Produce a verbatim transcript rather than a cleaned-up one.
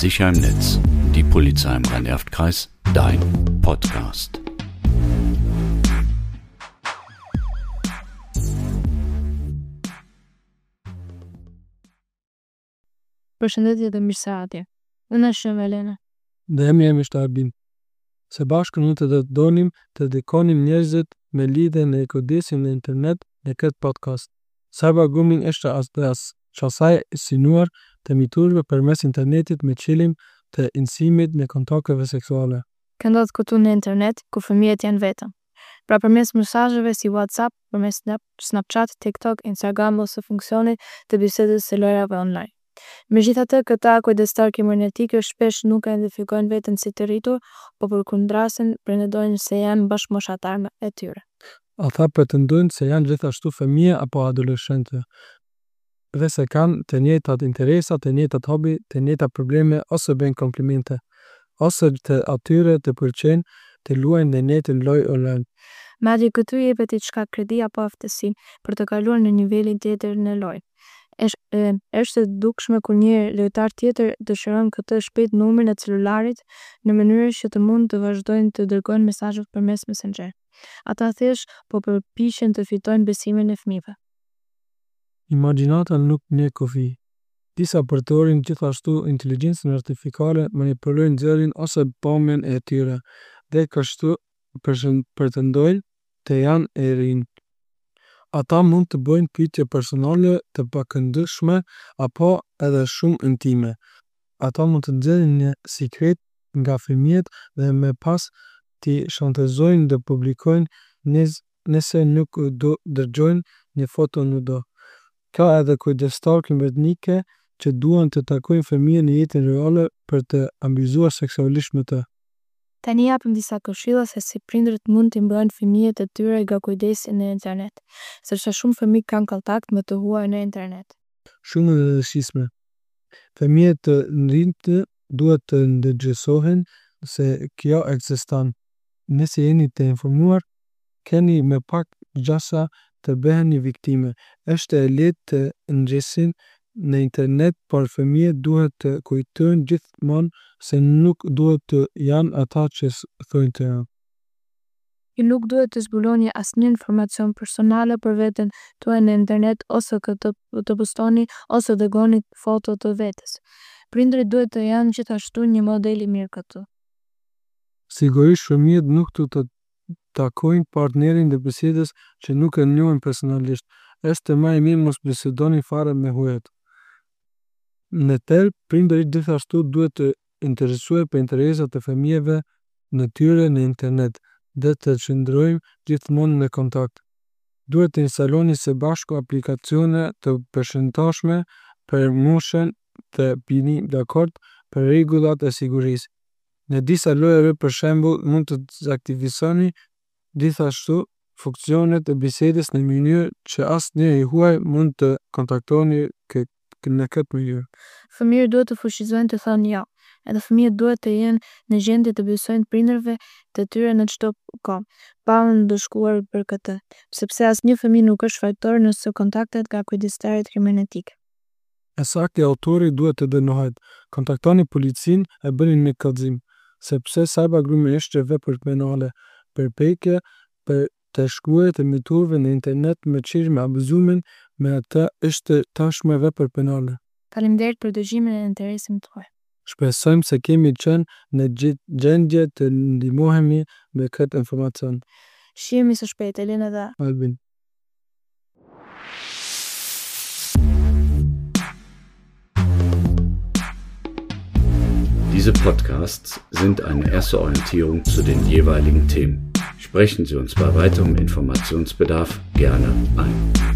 Sicher im Netz, die Polizei im Rhein-Erft-Kreis, dein Podcast. Përshëndetje dhe mirëseardhje. Unë jam Elena. Dhe emri im është Albin. Së bashku ne do të donim të edukonim njerëzit me lidhje me kujdesin në internet në këtë podcast. Cyber grooming është as dhe as qasje e synuar të miturve përmes internetit me qëllim të inicimit në kontakteve seksuale. Kjo ndodh këtu në internet, ku fëmijët janë vetëm. Pra përmes mesazheve si WhatsApp, përmes Snapchat, TikTok, Instagram ose funksionit të bisedës së lojrave online. Megjithatë, këta kujdestar kibernetikë shpesh nuk e identifikojnë veten si të rritur, po përkundrazi pretendojnë se janë bashkëmoshatarë e tyre. Ata pretendojnë se janë gjithashtu fëmijë apo adoleshentë dhe se kanë të njëjtat interesa, të njëjtat hobi, të njëjtat probleme ose bëjnë komplimente, ose të atyre të pëlqejnë të luajnë në njëjtën lojë online. Madje këtu jepet diçka kredi apo aftësi për të kaluar në nivelin tjetër në lojë. Është është e dukshme kur një lojtar tjetër dëshiron këtë shpejt numrin e celularit në mënyrë që të mund të vazhdojnë të dërgojnë mesazhe përmes Messenger. Ata thjesht po përpiqen të fitojnë besimin e fëmijëve. Imagjinata nuk njeh kufi. Disa përdorin gjithashtu inteligjencën artificiale, manipulojnë zërin ose pamjen e tyre dhe kështu pretendojnë të janë të rinj. Ata mund të bëjnë pyetje personale të pakëndshme apo edhe shumë intime. Ata mund të nxjerrin një sikret nga fëmijët dhe më pas t'i shantazhojnë të publikojnë nëse nuk u dërgojnë një foto nudo. Ka edhe kujdestarë kibernetikë që duan të takojnë fëmijën në jetën reale për të abuzuar seksualisht me të. Tani japim disa këshilla se si prindërit mund t'i mbrojnë fëmijët e tyre nga kujdesi në internet, sepse shumë fëmijë kanë kontakt me të huaj në internet. Shumë e rëndësishme. Fëmijët të rinjtë duhet të ndërgjegjësohen se kjo ekziston. Nëse jeni të informuar, keni më pak gjasa të bëheni viktimë. Është e lehtë të nxisin në internet, por fëmijët duhet të kujtojnë gjithmonë se nuk duhet të janë ata që thonë të janë. Ju nuk duhet të zbuloni asnjë informacion personale për veten tuaj në internet ose këtë të postoni ose dërgoni foto të vetes. Prindërit duhet të janë gjithashtu një model i mirë këtu. Sigurisht, fëmijët nuk duhet të takojnë partnerin e bisedës që nuk e njohin personalisht. Është më mirë mos bisedoni fare me huajt. Në thelb, prindërit gjithashtu duhet të interesohen për interesat e fëmijëve të tyre në internet dhe të qëndrojnë gjithmonë në kontakt. Duhet të instaloni së bashku aplikacione të përshtatshme për moshën dhe bini dakord për rregullat e sigurisë. Në disa lojëra, për shembull, mund të dezaktivizoni gjithashtu funksionet e bisedës në mënyrë që asnjë i huaj mund të kontaktoni në këtë mënyrë. Fëmijët duhet të fuqizohen të thonë jo. Edhe fëmijët duhet të jenë në gjendje të besojnë prindërve të tyre në çdo kohë, pa u ndëshkuar për këtë, sepse asnjë fëmijë nuk është fajtor nëse kontaktet nga kujdestarët kibernetikë. E saktë, autori duhet të dënohet. Kontaktoni policinë e bëni një kallëzim, sepse cyber grooming është vepër penale. Përpjekja për të shkruar të miturve në internet me qëllim abuzimin me ta është tashmë vepër penale. Faleminderit për dëgjimin e interesin tuaj. Shpresojmë se kemi qenë në gjendje të ndihmohemi me këtë informacion. Shihemi së shpejti, Elena dhe Albin. Diese Podcasts sind eine erste Orientierung zu den jeweiligen Themen. Sprechen Sie uns bei weiterem Informationsbedarf gerne ein.